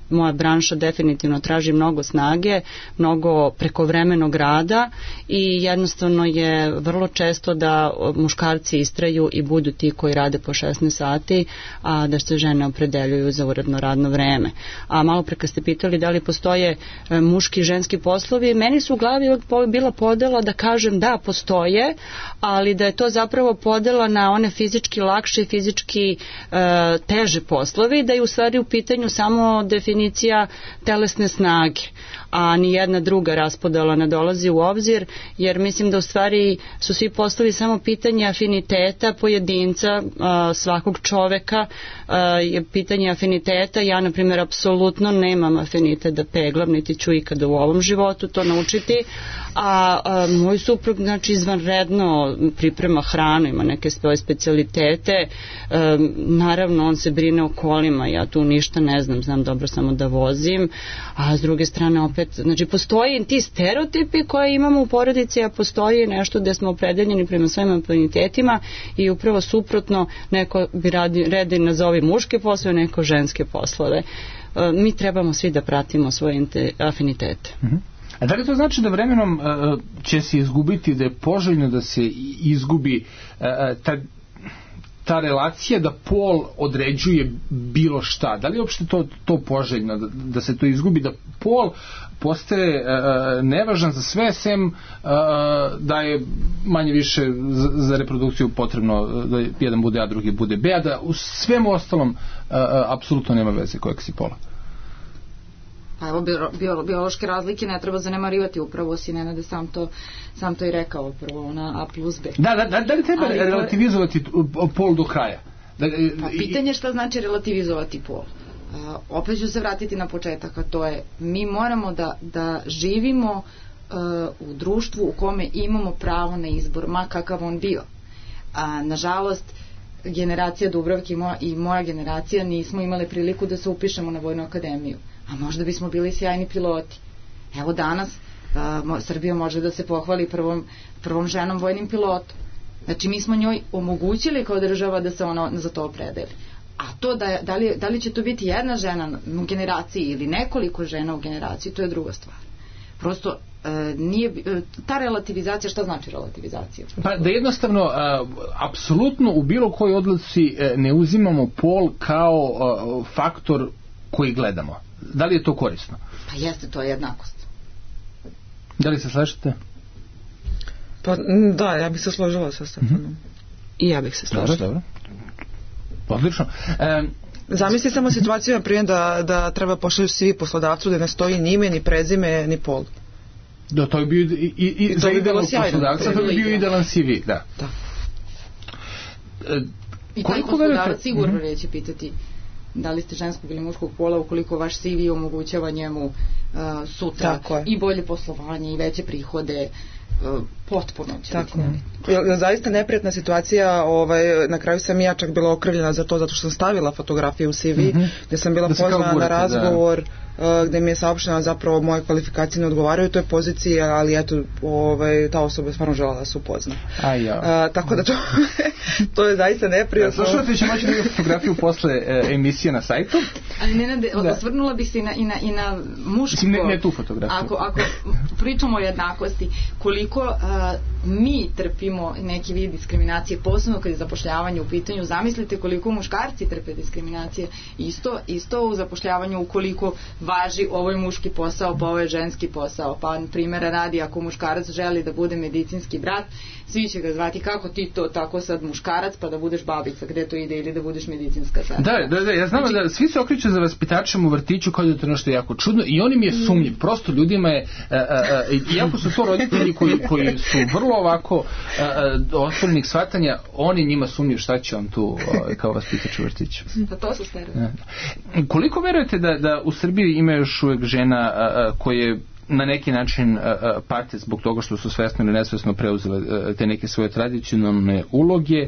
Moja branša definitivno traži mnogo snage, mnogo prekovremenog rada i jednostavno je vrlo često da muškarci istraju i budu ti koji rade po 16 sati, a da se žene opredeljuju za uredno radno vreme. A malo pre kad ste pitali da li postoje muški i ženski poslovi, meni su u glavi bila podela da kažem da postoje, ali da je to zapravo podela na one fizički lakše i fizički teže poslovi, da je u stvari u pitanju samo definicija telesne snage, a ni jedna druga raspodela ne dolazi u obzir, jer mislim da u stvari su svi poslovi samo pitanje afiniteta pojedinca, svakog čoveka je pitanje afiniteta. Ja, na primjer, apsolutno nemam afinitet da peglam, niti ću ikada u ovom životu to naučiti, a moj suprug, znači, izvanredno priprema hranu, ima neke svoje specijalitete, naravno on se brine o kolima, ja tu ništa ne znam dobro samo da vozim, a s druge strane opet, znači, postoji ti stereotipi koje imamo u porodici, a postoji nešto gde smo opredeljeni prema svojim afinitetima i upravo suprotno, neko bi redi nazovi muške poslove, neko ženske poslove. Mi trebamo svi da pratimo svoje afinitete. A da li to znači da vremenom će se izgubiti, da je poželjno da se izgubi ta relacija da pol određuje bilo šta? Da li je uopšte to poželjno, da se to izgubi, da pol postaje nevažan za sve, sem da je manje više za reprodukciju potrebno da jedan bude A, drugi bude B, a da u svemu ostalom apsolutno nema veze kojeg si pola? Pa evo, biološke razlike ne treba zanemarivati, upravo si Nenade sam to i rekao, prvo ona A plus B. Da li treba relativizovati pol do kraja? Pa pitanje šta znači relativizovati pol. Opet ću se vratiti na početak, a to je, mi moramo da živimo u društvu u kome imamo pravo na izbor, ma kakav on bio. Nažalost, generacija Dubravke i moja generacija nismo imali priliku da se upišemo na Vojnu akademiju, a možda bismo bili sjajni piloti. Evo danas Srbija može da se pohvali prvom ženom vojnim pilotom. Znači, mi smo njoj omogućili kao država da se ona za to opredeli. A to da li će to biti jedna žena u generaciji ili nekoliko žena u generaciji, to je druga stvar. Prosto nije ta relativizacija. Šta znači relativizacija? Pa da jednostavno apsolutno u bilo kojoj odluci ne uzimamo pol kao faktor koji gledamo. Da li je to korisno? Pa jeste, to je jednakost. Da li se slažete? Pa da, ja bih se složila sa Stefanom. I ja bih se složila. Dobro. Odlično. Zamisli samo situaciju, na primjer, da treba pošalju svi poslodavcu da ne stoji ni ime, ni prezime, ni pol. Da, to je bio i za idealnog poslodavca, to je bio idealan CV, da. I taj poslodavac sigurno neće pitati da li ste ženskog ili muškog pola ukoliko vaš CV omogućava njemu sutra i bolje poslovanje i veće prihode, potpuno će biti. Zaista neprijatna situacija, na kraju sam ja čak bila okrivljena za to zato što sam stavila fotografiju u CV, gdje sam bila pozvana na razgovor, gdje mi je saopšteno zapravo moje kvalifikacije ne odgovaraju toj poziciji, ali eto, ta osoba je stvarno žela da se upozna. Tako da to je zaista neprijatno. Slušate, će moći da je fotografiju posle emisije na sajtu. Ali Nenade, osvrnula bih se i na muško. Ne tu fotografiju. Ako pričamo o jednakosti, koliko mi trpimo neki vid diskriminacije, posebno kad je zapošljavanje u pitanju, zamislite koliko muškarci trpe diskriminacije, isto u zapošljavanju, ukoliko važi ovo je muški posao, pa ovo je ženski posao, pa primjera radi, ako muškarac želi da bude medicinski brat, svi će ga zvati kako ti to, tako sad muškarac, pa da budeš babica, gde to ide, ili da budeš medicinska sestra. Da, ja znam da svi se okreću za vaspitačem u vrtiću kao da je to nešto jako čudno i oni mi je sumnjiv, prosto ljudima je, iako su to roditelji koji su vrlo ovako otvorenih shvatanja, oni njima sumnjiv šta će on tu kao vaspitač u vrtiću. Pa to su stereotipi. Koliko verujete da u Srbiji ima još uvijek žena koje na neki način pate zbog toga što su svesno ili nesvesno preuzele te neke svoje tradicionalne uloge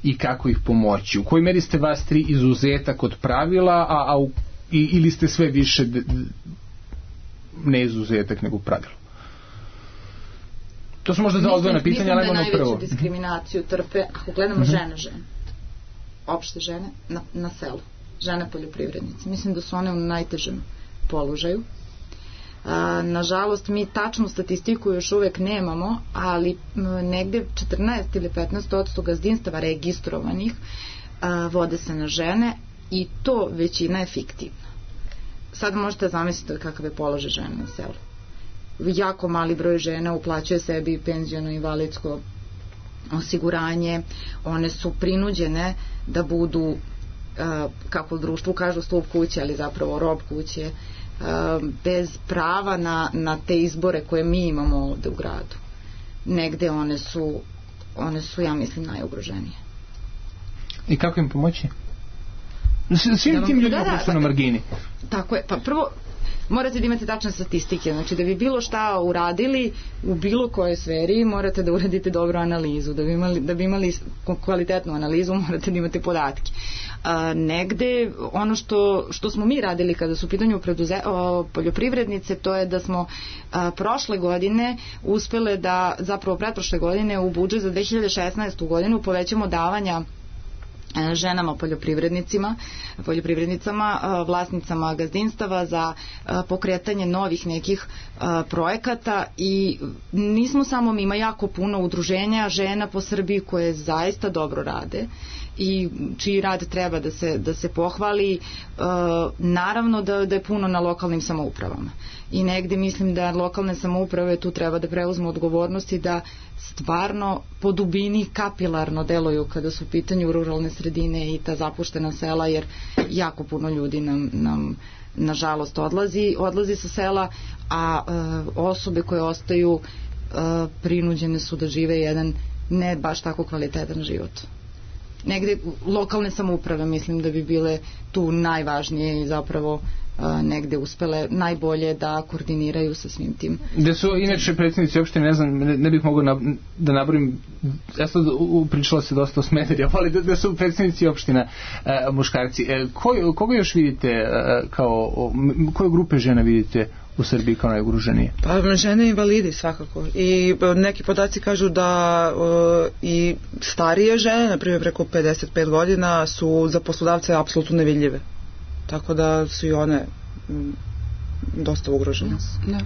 i kako ih pomoći? U kojoj meri ste vas tri izuzetak od pravila, ili ste sve više ne izuzetak nego pravilo? To su možda dva odvojena pitanja, ali ono prvo. Mislim da najveću diskriminaciju trpe, ako gledamo žene, opšte žene na selu, žene poljoprivrednice. Mislim da su one u najtežem položaju. Nažalost, mi tačnu statistiku još uvek nemamo, ali negde 14 ili 15% gazdinstava registrovanih vode se na žene i to većina je fiktivna. Sad možete zamisliti kakav je položaj žena na selu. Jako mali broj žena uplaćuje sebi penziono invalidsko osiguranje, one su prinuđene da budu, kako u društvu kažu, stub kuće, ali zapravo rob kuće, bez prava na te izbore koje mi imamo ovde u gradu. Negde one su, ja mislim, najugroženije. I kako im pomoći? Svim tim ljudima koji su na margini. Tako je, pa prvo morate da imate tačne statistike, znači da bi bilo šta uradili u bilo kojoj sferi morate da uradite dobru analizu, da bi imali kvalitetnu analizu morate da imate podatke. Negde ono što smo mi radili kada su u pitanju poljoprivrednice, to je da smo prošle godine uspele da, zapravo pretprošle godine, u budžet za 2016. godinu povećamo davanja ženama poljoprivrednicama, vlasnicama gazdinstava za pokretanje novih nekih projekata i nismo samo mi, ima jako puno udruženja žena po Srbiji koje zaista dobro rade i čiji rad treba da se pohvali, naravno da je puno na lokalnim samoupravama i negde mislim da lokalne samouprave tu treba da preuzmu odgovornost i da stvarno po dubini kapilarno deluju kada su u pitanju ruralne sredine i ta zapuštena sela, jer jako puno ljudi nam nažalost odlazi sa sela, a osobe koje ostaju prinuđene su da žive jedan ne baš tako kvalitetan život. Negde lokalne samouprave mislim da bi bile tu najvažnije i zapravo negde uspele najbolje da koordiniraju sa svim tim. Gde su inače predsjednici opštine, ne znam, ne bih mogao da nabrojim, ja sad pričala se dosta o Smederevu, ali da su predsjednici opština muškarci. Koga još vidite koje grupe žena vidite u Srbiji kao najugroženije? Pa žene invalidi svakako i neki podaci kažu da i starije žene, na primjer preko 55 godina, su za poslodavce apsolutno nevidljive. Tako da su i one dosta ugrožena.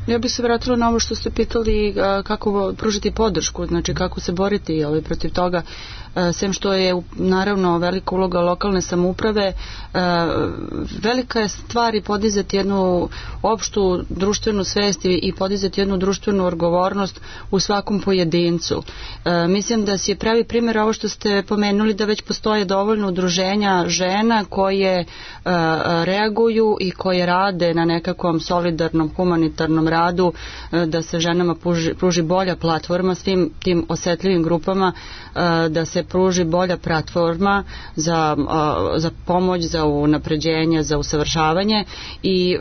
Ja bih se vratila na ovo što ste pitali kako pružiti podršku, znači kako se boriti protiv toga. Sem što je naravno velika uloga lokalne samouprave, velika je stvar i podizati jednu opštu društvenu svest i podizati jednu društvenu odgovornost u svakom pojedincu. Mislim da si je pravi primjer ovo što ste pomenuli, da već postoje dovoljno udruženja žena koje reaguju i koje rade na nekakvom solidarnom humanitarnom radu, da se ženama pruži bolja platforma svim tim osetljivim grupama, da se pruži bolja platforma za pomoć, za unapređenje, za usavršavanje. I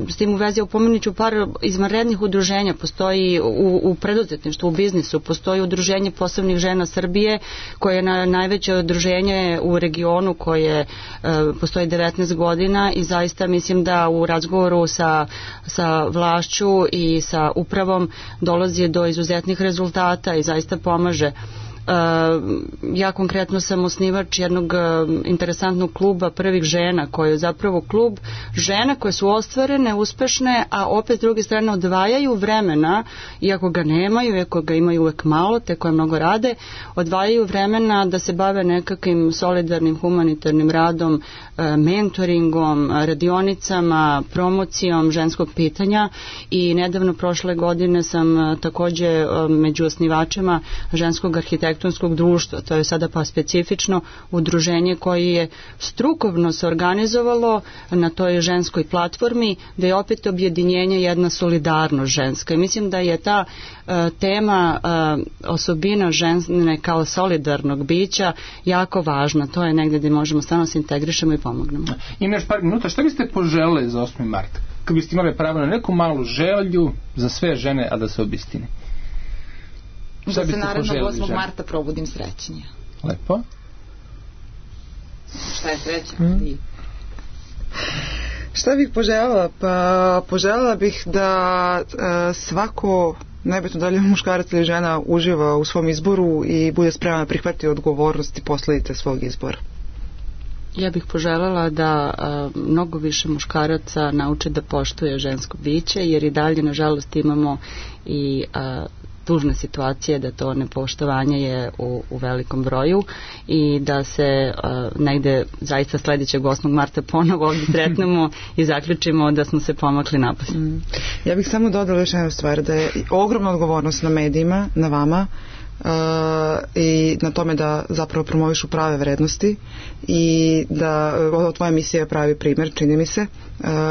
s tim u vezi upomenut ću par izvanrednih udruženja. Postoji u preduzetništvu, u biznisu, postoji udruženje posebnih žena Srbije koje je najveće udruženje u regionu koje postoji 19 godina i zaista mislim da u razgovoru sa vlašću i sa upravom dolazi do izuzetnih rezultata i zaista pomaže. Ja konkretno sam osnivač jednog interesantnog kluba prvih žena, koji je zapravo klub žena koje su ostvarene, uspešne, a opet s druge strane odvajaju vremena, iako ga nemaju, iako ga imaju uvek malo, te koje mnogo rade, odvajaju vremena da se bave nekakvim solidarnim humanitarnim radom, mentoringom, radionicama, promocijom ženskog pitanja. I nedavno prošle godine sam takođe među osnivačima ženskog arhitektonskog društva. To je sada pa specifično udruženje koje je strukovno se organizovalo na toj ženskoj platformi, da je opet objedinjenje jedna solidarnost ženska. I mislim da je ta tema osobina žene kao solidarnog bića jako važna. To je negde gde možemo stvarno se integrišemo i pomognemo. Ima još par minuta. Šta biste poželeli za 8. mart? Kad biste imali pravo na neku malu želju za sve žene, a da se obistini? Da se narednog 8. marta probudim srećnije. Lepo. Šta je sreća? Šta bih poželjela? Pa poželjela bih da svako, nebitno da li je muškarac ili žena, uživa u svom izboru i bude spreman da prihvati odgovornost i posledice svog izbora. Ja bih poželjela da mnogo više muškaraca nauče da poštuje žensko biće, jer i dalje nažalost imamo i tužne situacije da to nepoštovanje je u velikom broju i da se negde zaista sledećeg 8. marta ponovo ovdje sretnemo i zaključimo da smo se pomakli napolje. Ja bih samo dodala još jednu stvar, da je ogromna odgovornost na medijima, na vama, i na tome da zapravo promovišu prave vrednosti i da tvoja emisija je pravi primjer, čini mi se,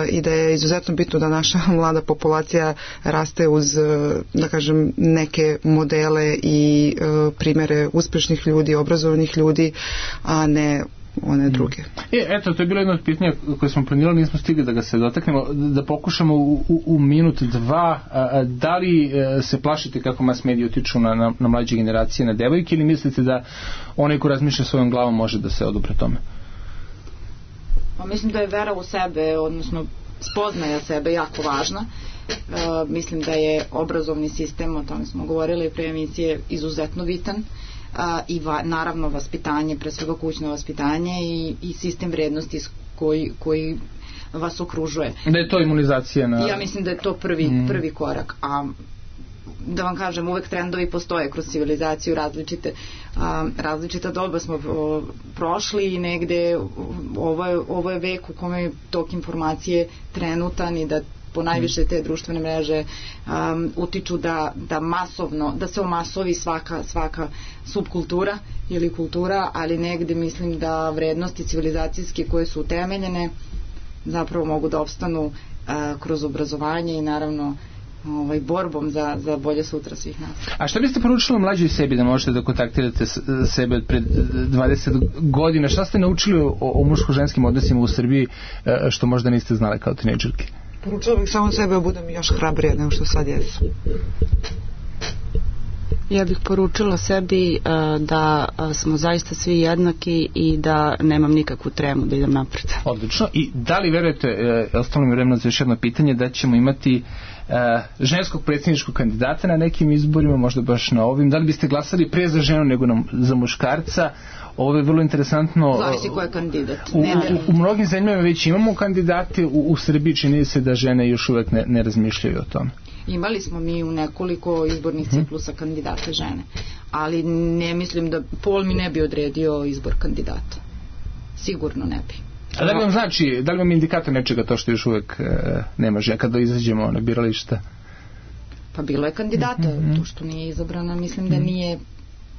i da je izuzetno bitno da naša mlada populacija raste uz, da kažem, neke modele i primjere uspješnih ljudi, obrazovanih ljudi, a ne one druge. Eto, to je bilo jedno od pitanja koje smo planirali, nismo stigli da ga se dotaknemo, da pokušamo u minut, dva, da li se plašite kako mas mediji utiču na mlađe generacije, na devojke, ili mislite da onaj ko razmišlja svojom glavom može da se odupre tome? Pa mislim da je vera u sebe, odnosno spoznaja sebe jako važna. Mislim da je obrazovni sistem, o tome smo govorili pre emisije, izuzetno bitan. I naravno vaspitanje, pre svega kućno vaspitanje i sistem vrednosti koji vas okružuje. Da je to imunizacija na... Ja mislim da je to prvi korak. A da vam kažem, uvek trendovi postoje kroz civilizaciju, različita doba smo prošli i negde ovo je vek u kome je tok informacije trenutan i da po najviše te društvene mreže utiču da se omasovi svaka subkultura ili kultura, ali negde mislim da vrednosti civilizacijske koje su utemeljene zapravo mogu da opstanu kroz obrazovanje i naravno borbom za bolje sutra svih nas. A šta biste poručili mlađoj sebi da možete da kontaktirate sebe od pred 20 godina? Šta ste naučili o muško-ženskim odnosima u Srbiji što možda niste znali kao tinejdžerke? Poručila bih samo sebe da budem još hrabrija nego što sad jesu. Ja bih poručila sebi da smo zaista svi jednaki i da nemam nikakvu tremu da idem napred. Odlično. I da li verujete, ostalo mi vremena za još jedno pitanje, da ćemo imati ženskog predsjedničkog kandidata na nekim izborima, možda baš na ovim. Da li biste glasali pre za ženu nego za muškarca? Ovo je vrlo interesantno. Zavisi ko je kandidat. U mnogim zemljama već imamo kandidate, u Srbiji čini se da žene još uvek ne razmišljaju o tome. Imali smo mi u nekoliko izbornih ciklusa kandidate žene, ali ne mislim da pol mi ne bi odredio izbor kandidata. Sigurno ne bi. A da li vam znači, da li vam indikator nečega to što još uvek nema žena kada izađemo na birališta? Pa bilo je kandidata, to što nije izabrana, mislim da nije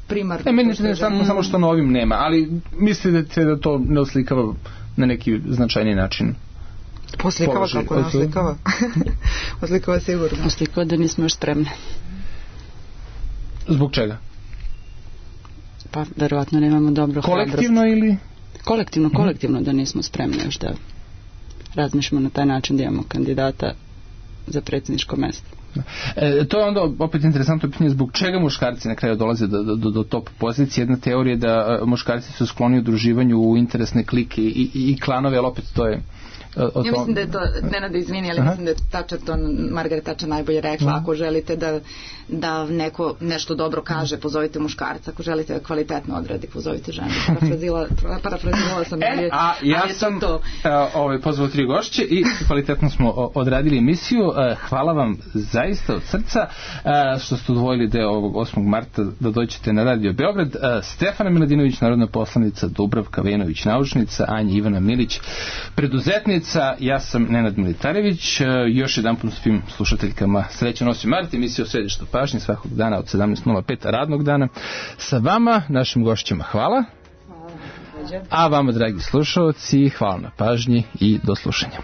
primarno. Meni je samo što na ovim nema, ali mislite da to ne oslikava na neki značajni način? Oslikava kako ne oslikava. Oslikava sigurno. Oslikava da nismo još spremne. Zbog čega? Pa verovatno nemamo dobro hrabrost. Kolektivno ili? Kolektivno da nismo spremne još da razmišljamo na taj način da imamo kandidata za predsjedničko mesto. To je onda opet interesantno pitanje zbog čega muškarci na kraju dolaze do top pozicije. Jedna teorija je da muškarci su skloni udruživanju u interesne klike i klanove, ali opet to je ja mislim da je to, Nenada izvini, ali mislim da je Tačer to Margaret Tačer najbolje rekla, ako želite da neko nešto dobro kaže, pozovite muškarca, ako želite da kvalitetno odradi, pozovite ženu. Parafrazirala sam. A ja sam pozvao 3 gošće i kvalitetno smo odradili emisiju. Hvala vam zaista od srca što ste odvojili deo ovog 8. marta da dođete na Radio Beograd. Stefana Miladinović, narodna poslanica, Dubravka Vejnović, naučnica, Anja Ivana Milić, preduzetnica. Ja sam Nenad Militarević. Još jedan put svim slušateljkama srećan 8. mart, emisija o središtu pažnje svakog dana od 17:05 radnog dana. Sa vama, našim gošćima, hvala. A vama, dragi slušalci, hvala na pažnji i do slušanja.